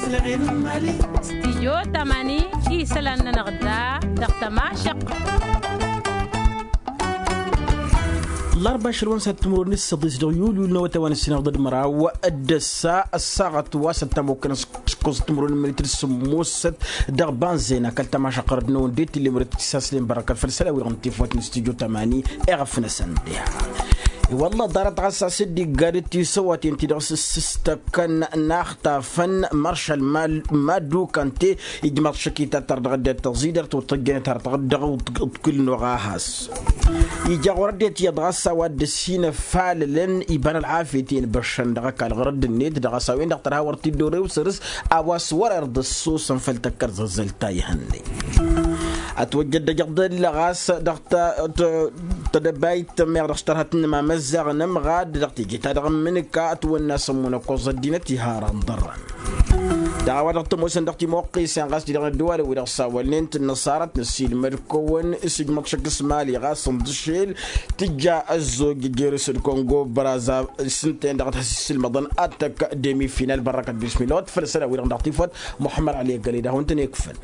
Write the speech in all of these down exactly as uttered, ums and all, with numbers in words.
Stijyo tamani isălan-nănăɣ da dăɣ-tămašăq. Ḍarba ašăl wa n-săt timǝrwen s-săḍis dăɣ-yul yul n-awătay wa n-ǝssinăɣ ḍăd-măraw d-ăssa ăssaɣăt wa s-ăttamokăn s-ǝkkoẓăt timǝrwen n-minitir s-ǝmmusăt dăɣ-banzena kăl-tămašăq ɣărăt n-awăn d-e-t ille mărăt tisaslen bărăkăt făll-isălan-wi-dăɣ n-tifawt n-stijyo tamani. Eɣăf-năsăn diha. I-wălla ḍarăt ɣas a-s dd-igga d-tisăwaten-ti-dăɣ s-ǝssǝstăkăn n-axtafăn maršal madu kante ijmaḍ šăkita tar dăɣ-ăddinăt tăẓidărt wăr tăjjănet har dăɣ-dd-ăḍkǝlnoɣ a has. Ija ɣur-ăddinăt iyyăḍ ɣas a-wa dd-ăssinăf falălăn iba n-ălɣafyăt i-inbăššăn dăɣ-ăkall ɣur-ădd-net dăɣ-a-s a-wen-dăɣ tărha wăr t-dd-orewsăr s-a-wa s-wăr-irḍăssoosăn făll-tăkkăr zăzzăl ta ihănnăy. Ătwăjjăd dăj-iḍǝl ɣas dăɣ-tădăbayt meɣ dăɣ-s tărha tǝnnǝm amăzzaɣ n-ămɣad dăɣ-teje-ta-dăɣ n-imǝnǝka ătwănna s-ămmunăkkoẓ ăddinăt iha ara n-iḍărrăn. Dăɣ-a-wa-dăɣ tămoosăn dăɣ-timoqqisen ɣas ti-dăɣ n-ăddăwalăn-wi-dăɣ sawălnen tǝnnăṣarăt năssiilmăd kăwăn s-ijmăḍ šăkk s-mali ɣas n-iḍǝšel tǝjja ăzzoj jer-s d-kongo băraza s-ǝnta-en-dăɣ ad-has-issǝlmăḍăn ad-tăkk demi final bărrăkăt bismillah wa t-făl isălan-wi-dăɣ dăɣ-tifawt. Muḥămmăd ăli ăggăled ad-hawăn-tăn-ikfăn.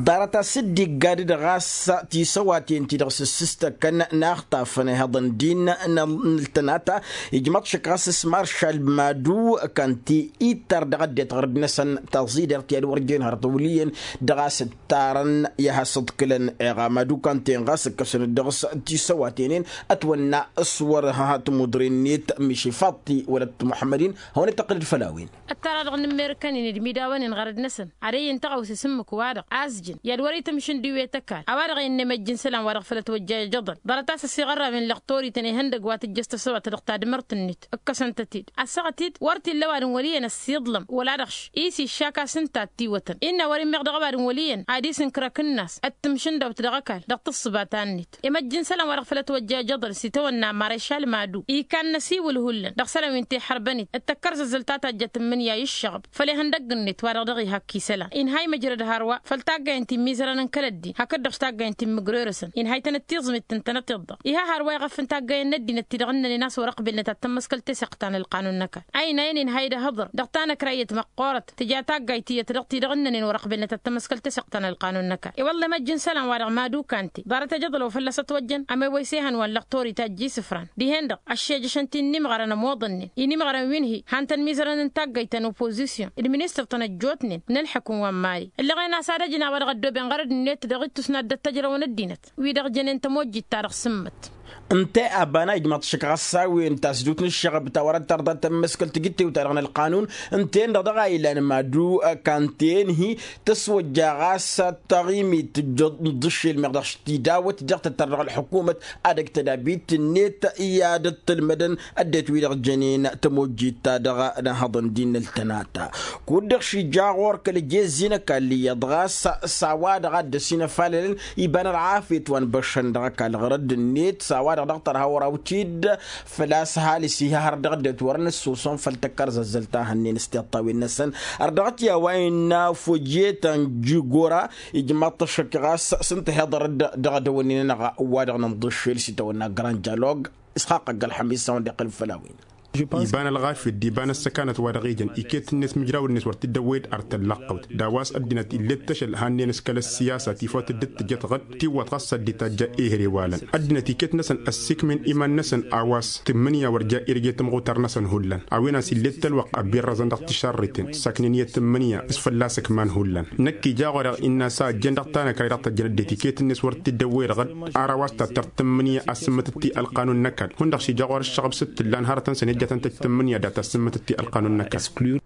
Ḍarăt a-s dd-igga d-dăɣ-a-s tisăwaten-ti-dăɣ s-ǝssǝstăkăn n-axtafăn ihăḍăn din n-ăltănata ijmăḍ šăkk ɣas s-maršal madu kănti ittar dăɣ-ăddinăt ɣărăd-năsăn taẓidert i-ad-wăr jen hărăt wăl' iyyăn dăɣ-a-s ǝttarăn i-ad-has-ǝḍkǝlăn eɣa madu kănti-en ɣas ǝkkăsăn-dd dăɣ-s tisăwaten-en ătwănna s-wăr ha tămudre-net miši faḍti wălăt muḥămmăd-in. Hawăn-dd-tăqqǝlăd făll-a-wen. Ăttara dăɣ-inǝmmerǝkăn-in d-imidawăn-in ɣărăd-năsăn ad-ăyy ǝnta ɣawse s-ǝmmǝk-wa-dăɣ azjǝn i-ad-wăr-itǝmšǝn d-iwet ăkall a-wa-dăɣ innă imăjj n-isălan wa dăɣ-fălăt wăjja ijăḍăn. Ḍarăt a-s ăsiɣărrawen lăxtor-ităn ihăndăg wa tǝjjăš tăsăwat dăɣ-tadmărt-net ǝkkăsăn-tăt-dd ăssaɣăt-dd wăr t-illa ăwadǝm wăl' iyyăn ăssiiḍlăm wăla dăɣ-š-i s-iššak a-s ǝnta a t-iwătăn innă wăr-immeɣ dăɣ-ăwadǝm wăl' iyyăn ad-isǝnkǝr akǝnnas d-tǝmšǝndawt dăɣ-ăkall dăɣ-tǝssǝbat a-net. Imăjj n-isălan wa dăɣ-fălăt wăjja ijăḍăn s-itawănna marešal madu ikan n-ăsiwǝl hullan dăɣ-isălan wi n-tiḥărbănit d-tăkkărzăzzăl ta tajjăt n-imǝnya i-ǝššăɣăb făll-ihăndăgg-net wa-dăɣ dăɣ-iha ăkk isălan inha imǝjrăd hărwa făll-taggay n-timmizărăn n-kăl-ăddin hakd-dăɣ s-taggay n-timmǝgrerăsăn inha itănăt tiẓmit ǝntănăt iḍḍa. Iha hărwa iɣăf n-taggay n-ăddinăt ti-dăɣ ǝnnănen a-s wăr-ăqbilnăt ad-tămmăskăl tesăɣt ta n-ălqanun n-ăkall. Aynayen inha ed-ăhǝḍăr dăɣ-tanăkrayyăt măqqoorăt tǝja taggayt iyyăt dăɣ-ti-dăɣ ǝnnănen wăr-ăqbilnăt ad-tămmăskăl tesăɣt ta n-ălqanun n-ăkall. I-wălla imăjj n-isălan wa-dăɣ mad-ukante ḍarăt ejăḍălăw fălla-s ătwăjjăn ămewăy s-ehăn wa n-lăxtor itajj isǝfran dihen-dăɣ ăššejăšăn ti n-inimɣărăn ămoḍănnen inimɣărăn wi n-hi han-tăn mizărăn n-taggayt ta n-opozisyon d-ministăr-tăn ăjjootnen n-ǝlḥǝkǝm wa n-mali. Ǝllăɣen a-s ad-ăjǝn a-wa dăɣ-ăddooben ɣărăd-net dăɣ-ittus n-ad-dd-ăttăjrăwăn ăddinăt wi-dăɣ jănen tămojjit-ta-dăɣ sǝmmăt. Ǝnta i-abana ijmaḍ-t šăkk ɣas s-a-wen tasdut n-ǝššăɣăb ta wăr-ăttărḍa tămmăskăl tijǝttewt-ta-dăɣ n-ălqanun ǝnta-en-dăɣ dăɣ-a ilan madu. Kanten-hi tăswăjja ɣas taɣimit n-dd-ǝššel meɣ dăɣ-s tidawăt dăɣ-tăttăr dăɣ-ălḥukumăt ad-ăj tădabit-net i-ad-ăttălmădăn ăddinăt-wi-dăɣ jănen tămojjit-ta-dăɣ n-ehăḍăn din n-ăltănata. Kud-dăɣ šija ɣur-kăl-ejezzi n-ăkall iyyăḍ ɣas s-a-wa-dăɣ a dd-ăsinăfalălăn iba n-ălɣafyăt wa n-băššăn dăɣ-ăkall ɣărădd-net s-a-wa-dăɣ dăɣ-tărha wăr-awtid făl-a-s ăhalǝs iha har dăɣ-ăddinăt wăren ǝssoson făll-tăkkărzăzzăl ta hănnen s-tiṭṭawen-năsăn. Ărdăɣăt i-a-wa innă fojeta n-jigora ijmaḍ-t ăššăk ɣas s-ǝnta heḍărăd dăɣ-edăwănnin-nănăɣ wa-dăɣ n-inḍǝššel s-itawănna grand dialog. Isxaq ăgg-ălxămis a-wen-dd-iqqǝlăn făll-a-wen. Iba n-ălɣafyăt d-iba n-ăssăkanăt wa dăɣ-ijăn iket-net mǝjrawăn-net wăr t-dd-ăwwăyăd ar tăllăqqăwt d-a-wa s-ăddinăt ill'-e d-tăšăl hannăyăn s-kăl-ăssiyasa tifawt dd-tǝjăt ɣǝd tiwwăḍ ɣas ad-dd-itajja ehre walăn ăddinăt iket-năsăn ăssiikmen iman-năsăn a-wa s-tǝmmǝnǝya wăr ja irge tămɣutar-năsăn hullan a-wen a-s ill'-e d-tălwăqq ăbbiirrăẓăn dăɣ-tišarriten săknen i-tǝmmǝnǝya s-fălla-s ǝkman hullan. Năkk ija ɣur-e innă a-s a ăjjeen dăɣ-tanăkray dăɣ-tăjjăn ăddinăt iket-net wăr t-dd-ăwwăyăd ɣǝd ar a-wa s-tattăr tǝmmǝnǝya a sǝmmǝtăt-i ălqanun n-ăkall hundăɣ šija ɣur-ăššăɣăb s-dd-tǝllan hărătăn-săn i-ăjjatăn-t ăj tǝmmǝnǝya dat-asǝmmǝtăt-i ălqanun n-ăkall.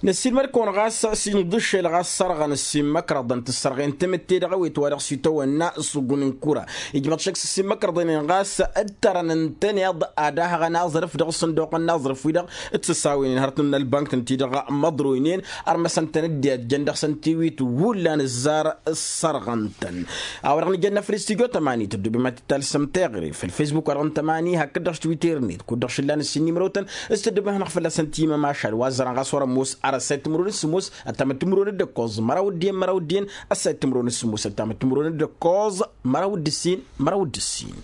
Năssiilmăd-kăwăn ɣas s-inḍǝššel ɣas sărɣăn ăssiinmăkrăḍăn tǝssărɣen tamǝtte-dăɣ ăwet wa dăɣ-s itawănna s-ugun n-kura ijmăḍ šăkk s-ăssiinmăkrăḍăn-en ɣas ǝttărăn ǝntăneḍ ad-ahăɣăn aẓrǝf dăɣ-isǝnduqăn n-aẓrǝf-wi-dăɣ t-săsawăynen hărăt n-ălbănk-tăn-ti-dăɣ măḍroynen ărmăsăn-tăn dd-ijjăn dăɣ-săn tiwit hullan ǝzzar ǝssărɣăn-tăn. A-wa dăɣ-nǝjănna făll-studyo tămani tăddobem ad-t-talsăm teɣăre făll-facebook wa dăɣ-n tămani hakd-dăɣ s-twitter-net kud-dăɣ šǝllan ǝssin n-imrăw-tăn s-tăddobem hanăɣ-fălla-săn timămašal wa ăzzărăn ɣas wăr-ămoos ar ăssayăt timǝrwen s-ămoos ăttamăt timǝrwen d-ǝkkoẓ măraw d-iyyăn măraw d-iyyăn ăssayăt timǝrwen s-ămoos ăttamăt timǝrwen d-ǝkkoẓ măraw d-ǝssin măraw d-ǝssin.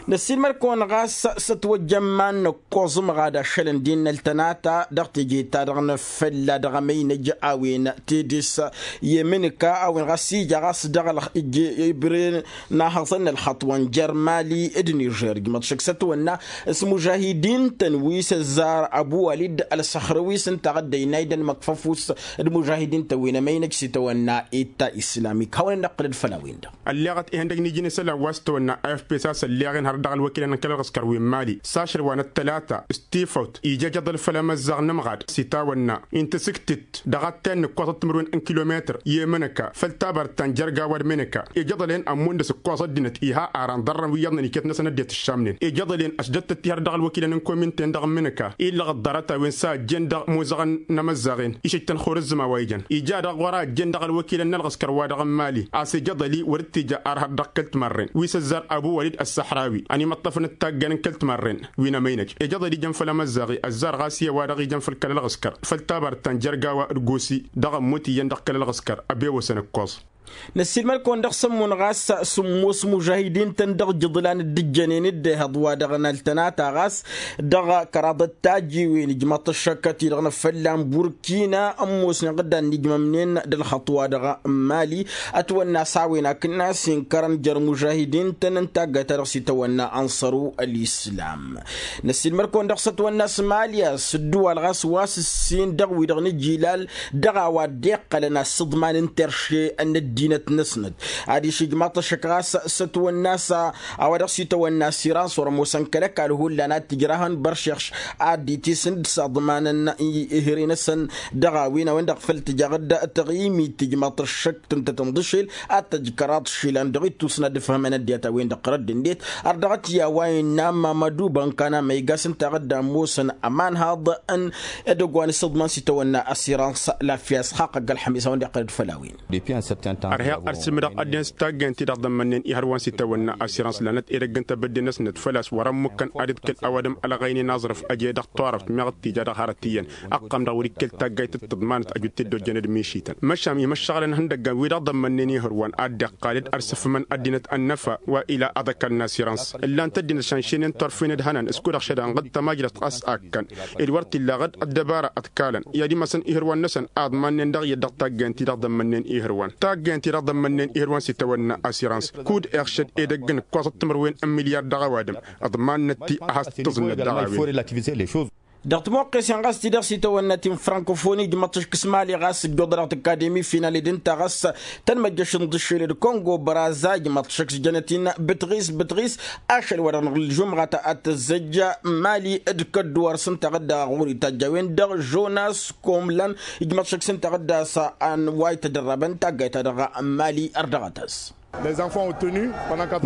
Năssiilmăd-kăwăn ɣas s-ătwăjja n-iman n-ǝkkoẓ ǝmɣad ašălăn d-innăl tănata dăɣ-teje-ta-dăɣ n-afălla dăɣ-emăynăj a-wen tedes i-emǝnǝka a-wen ɣas ija ɣas dăɣ-ălxǝjje ibre n-ahăẓăn n-ălxăṭṭ wa n-jer-mali d-nižer ǝjmăḍ šăkk s-ătwănna s-imužahidin-tăn wi s-ăzzar ăbu-walid ălsăxrăwis ǝnta a dd-ăynay d-ănmăkfăf-us d-imužahidin-tăn wi n-emăynăj s-itawănna itta islamik hawăn-in-ăqqǝlăd făll-a-wen-dăɣ. Ălleɣăt ihăndăg n-iji n-isălan wa s-tawănna afp s-a-s ălleɣen har dăɣ-ălwăkilăn n-kăl-ălɣǝskăr wi n-mali s-ašăl wa n-ăttălata s-tifăwt ija ejăḍăl făll-emăzzaɣ n-ămɣad s-itawănna intǝsǝktǝt dăɣ-attăn n-ǝkkoẓăt timǝrwen n-kilometăr i-emǝnăka făll-tabărt ta n-jer-gawa d-mǝnǝka ejăḍăl-en ămmundăs ǝkkoẓ ăddinăt iha ara n-iḍarrăn wi iyyăḍnen iket-năsăn ăddinăt ǝššamnen ejăḍăl-en ăšdăt-tăt-i har dăɣ-ălwăkilăn n-kominten dăɣ-mǝnǝka illăɣ ăḍḍarăt a-wen s-a ăjjeen dăɣ-imuzăɣăn n-emăzzaɣen išǝjtăn xurǝzzǝma wa ijăn ija daɣ ɣur-a ăjjeen dăɣ-ălwăkilăn n-ălɣǝskăr wa dăɣ-n mali a-s ejăḍăl-i wăr-dd-tija ar har dăɣ-kăl-timarren wi s-ăzzar abu-wălid ăssăxrawi ănimăṭṭăfăn d-taggayn n-kăl-timarren wi n-emăynăj ejăḍăl ijăn făll-emăzzaɣ-i ăzzar ɣas i-a-wa-dăɣ ijăn făll-kăl-ălɣǝskăr făll-tabărt ta n-jer-gawa d-gosi dăɣ-ămmut iyyăn dăɣ-kăl-ălɣǝskăr ăbewăsăn ǝkkoẓ. Năssiilmăd-kăwăn dăɣ-sămmun ɣas sǝmmos mužahidin-tăn dăɣ-ijǝḍlan dd-ǝjjănen dd-ehăḍ wa dăɣ-năltănata ɣas dăɣ-kăraḍăt tajiwen ǝjmăḍ-t ăššăkkăt-i-dăɣ n-afălla n-burkina ămoosnen ɣǝddan n-ijmămnen d-ălxăṭṭ wa dăɣ-mali ătwănna s-a-wen akǝnnas inkărăn jer-mužahidin-tăn n-taggayt-ta-dăɣ s-itawănna ănṣăru ălislam. Năssiilmăd-kăwăn dăɣ-s ătwănna s-mali a-s ǝddǝwal ɣas wa s-ǝssin dăɣ-wi-dăɣ n-ijilal dăɣ-a-wa dd-iqqălăn asǝḍman n-terše n-ăddinăt-năsnăt adiš ijmaḍ-t ăššăk ɣas s-ătwănna s-a-wa dăɣ-s itawănna s-iran s-wăr ămoosăn kăl-ăkall hullan ad-t-ǝjrahăn băršeɣš ad-dd-itisǝnd s-aḍmanăn ihre-năsăn dăɣ-a-wen a-wen-dăɣ făl tǝja ɣǝd taɣimit tǝjmaḍ-t ăššăk tǝntăt n-iḍǝšel ad-t-ăj kăraḍ išilan dăɣ-ittus n-ad-ǝfhămăn ăddinăt a-wen-dăɣ ɣărădd-net. Ărdăɣăt i-a-wa innă mamădu bănkan amăygas ǝnta ɣǝdda ămoosăn ămanhaḍ n-edăgg wa n-isǝḍman s-itawănna asirans lafyas xaqăgg ălxămis a-wen-dăɣ iqqăl-dd făll-a-wen. Ărheɣ ărsǝmdăɣ ăddinăt s-taggăyăn-ti-dăɣ ḍămmănnen ihăr wa n-sitawănna asirans lanăt edăgg n-tebădde-năsnăt făl-a-s wăr-ămmukăn ad-ǝḍkǝl ăwadǝm ălɣăynen aẓrǝf ăje dăɣ-turăft meɣ t-ija dăɣ-hărăt iyyăn ăqqăm-dăɣ wăr-ikkel taggayt d-tǝḍmanăt ăjut-t-dd-ojjăn d-mišităn măšan imăššăɣălăn ihăndăggan wi-dăɣ ḍămmănnen ihăr wa n-ad-dd-iqqal d-arsǝfmăn ăddinăt ănnăfa wa ila aḍăkal n-asirans ǝllan-t ăddinăt šanšenen turfen d-hănan s-kud-ăɣšăd anɣǝd tamajrăt ɣas a ǝkkăn ed wăr t-illa ɣǝd ăddăbara ăḍkalăn i-ad-imasăn ihǝrwan-năsăn aḍmannen dăɣ-iyyăt dăɣ-taggăyăn-ti-dăɣ ḍămmănnen ihǝrwan taggăyăn-ti-dăɣ ḍămmănnen ihǝrwan s-itawănna asirans kud-iɣšăd edăgg n-ǝkkoẓăt timǝrwen n-milyar dăɣ-ăwadǝm. Ăḍmannăt-ti a has-tǝẓǝnnăt dăɣ-a-wen. Dăɣ-timoqqesen ɣas ti-dăɣ s-itawănna ti n-frankofoni ǝjmăḍ-t ăšk s-mali ɣas ǝjjuḍănăɣ tǝkka demi final-dd ǝnta ɣas tănmăjjăš n-iḍǝššel d-kongo băraza ǝjmăḍ-t ăšk s-jănăt-in bǝtɣis bǝtɣis. Ašăl wa dăɣ-năɣ ǝlžumɣăt ad-tăzzăjja mali d-kădduwar s-ǝnta ɣǝdda ɣur-itajj a-wen-dăɣ žonas komlan ǝjmăḍ-t ăšk s-ǝnta ɣǝdda a-s a n-wa itădărrabăn taggayt-ta-dăɣ mali ărdăɣăt-as.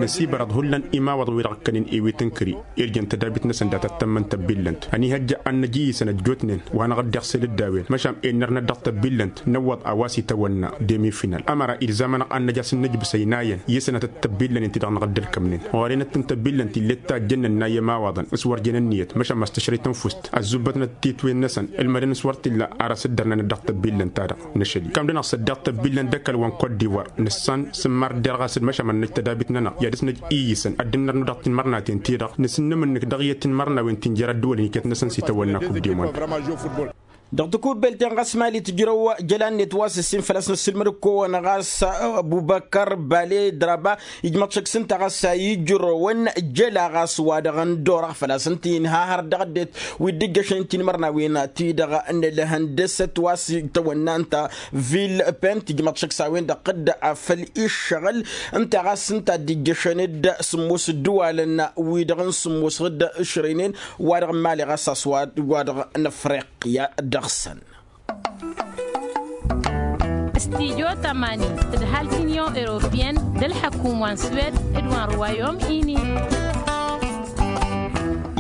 Năsibărăḍ hullan imawăḍăn wi-dăɣ ǝkkănen ewet n-kări irjăn tădabit-năsăn dat-ăttămmăn tăbbillănt ănihăjja ad-năj iyyǝsăn ăjjootnen wa năɣ-dd-iɣsel d-a-wen măšan ennărnăt dăɣ-tăbbillănt năwwăḍ a-wa s-itawănna. Demi-final ămăra ilzam-anăɣ ad-năj a-s n-nǝjbǝs ăynayăn iyyǝsăn ad-tăt-tăbbillănen ti-dăɣ năɣ-dd-ălkămnen ɣur-enăt n-tăbbillănt ill'-e d tajjăn n-ănnay i-imawaḍăn s-wăr jen ǝnniyăt măšan măstăšrăy tănfust ăzzubbătnăt titwen-năsăn ǝlmădăn s-wăr t-illa ar asǝddărnănăt dăɣ-tăbbillănt-ta-dăɣ. Năšăl-i kămdăn-aɣ s-ăddiɣ tăbbillăn d-ăkall wa n-kot divoir nǝssan s-ǝmmar dd-irɣas d-măšan mănnăj tădabit-nănăɣ i-ad-dăɣ-s năj iyyǝsăn ad-dd-ǝnnărnăw dăɣ-tinmărnaten-ti-dăɣ nǝsǝnnǝmǝnnǝk dăɣ-iyyăt tinmărnawen ti n-jer-ăddǝwălăn iket-năsăn s-itawănna kub demon. Dăɣ-takubbelt-en ɣas mali tǝjrăw jăla-net wa s-ǝssin făl-a-s nǝssǝlmăd-kăwăn ɣas abubăkăr bale draba ijmăḍ šăkk s-ǝnta ɣas a ijrăwăn jăla ɣas wa dăɣ-n dorăɣ făl-a-s ǝnta inha har dăɣ-ăddinăt wi dd-ǝjjăšăn tinmărnawen-ti-dăɣ n-ălhăndăsăt wa s-tăwănna ǝnta. Vil pent ijmăḍ šăkk s-a-wen-dăɣ dd-afăl iššăɣǝl ǝnta ɣas ǝnta a dd-ǝjjăšăn d-sǝmmos ǝddǝwalăn wi-dăɣ n-sǝmmos ɣǝd ǝšrăynen wa dăɣ-n mali ɣas a-s wa dăɣ-n afriqya dăɣ-săn. Studyo tămani d-ăhalk n-union europeyăn d-ălḥăkum wa n-swed d-wa n-ruwayom ini.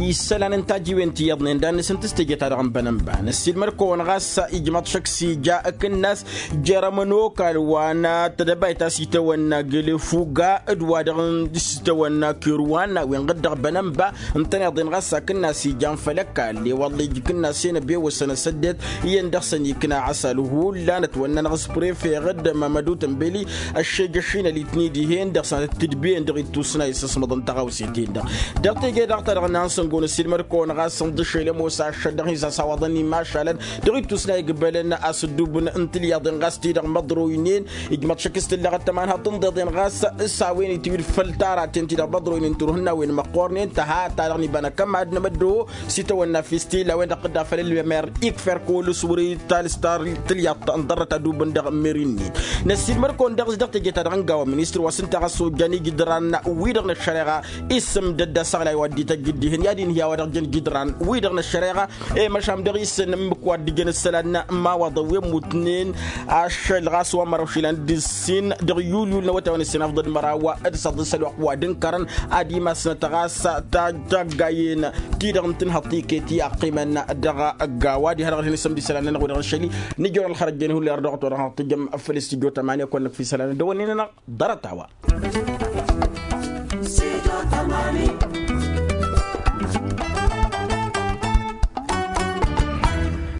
Isălan n-tajiwen ti iyyăḍnen d-ad-nǝsǝntǝs teje-ta-dăɣ n-bănănba năssiilmăd-kăwăn ɣas ijmăḍ šăkk s-ija akǝnnas jer-ămănokal wa n-tedăbayt a-s itawănna gelefuga d-wa-dăɣ s-itawănna kerwanna wi n-ɣǝddăɣ bănănba ǝntăneḍ-en ɣas akǝnnas ijan făll-ăkall i-wălla ija akǝnnas-en ăbewăsăn asăddet iyyăn dăɣ-săn ikna asal hullan ătwănna n-aɣǝs prefe ɣǝddăm amădut n-beli ăššejăšinăl-itni dihen dăɣ-săn ad-tǝdbiyen dăɣ-ittusna isǝsmăḍăn tăɣawse-ten-dăɣ. Dăɣ-teje-dăɣ ta dăɣ-năhăn săngon ăsilmăd-kăwăn ɣas ǝnḍǝšel ămoos ašăl dăɣ-hin-sasawăḍăn imašalăn dăɣ-ittusna igbălăn asǝddubǝn n-tilyaḍen ɣas ti-dăɣ măḍroynen ijmăḍ šăkk s-tǝllăɣăt tămanhăḍt ǝnḍeḍen ɣas s-a-wen itiwǝd făll-taraten ti-dăɣ măḍroynen turhǝnnawen măqqornen tăha ta dăɣ-nibănăkăm ad-nămăddo s-itawănna fistila a-wen-dăɣ tǝdda făll-ălmer ikfer kăwăl-s wăr-i talǝs ta tǝlyaḍt ănḍărrăt ad-ubǝn dăɣ-meri-net. Năssiilmăd-kăwăn dăɣ-s dăɣ-teje-ta-dăɣ n-gawa ministăr wa s-ǝnta ɣas ojjan ijǝdran wi-dăɣ n-ăššăreɣa isǝmdăd d-asăɣlay wa dd-ităjjǝd dihen i-ad-inhǝy a-wa dăɣ-jăn ijǝdran wi-dăɣ n-ăššăreɣa i-măšan dăɣ-isǝn ǝmmǝk wa dd-ijăn isălan n-imawaḍăn wi ămmutnen ašăl ɣas wa n-măraw išilan d-ǝssin dăɣ-yulyul n-awătay wa n-ǝssin afḍăd măraw d-săḍǝs ălwăqq wa d-ǝnkărăn ad-imasnăt ɣas taggayen ti-dăɣ n-tǝnhăḍt iket i-ăqqimăn dăɣ-ăgg-a-wa diha dăɣ-ălhǝn isămd isălan-nănăɣ wi-dăɣ n-ašăl-i. Nǝjrăw ălxărăt jăn hullan erdăɣăt wa dăɣ-năɣ tǝjjăm făll-istudyo tămani ăkk wăr nǝkf isălan ăddăwănnin-nănăɣ ḍarăt-a-wa.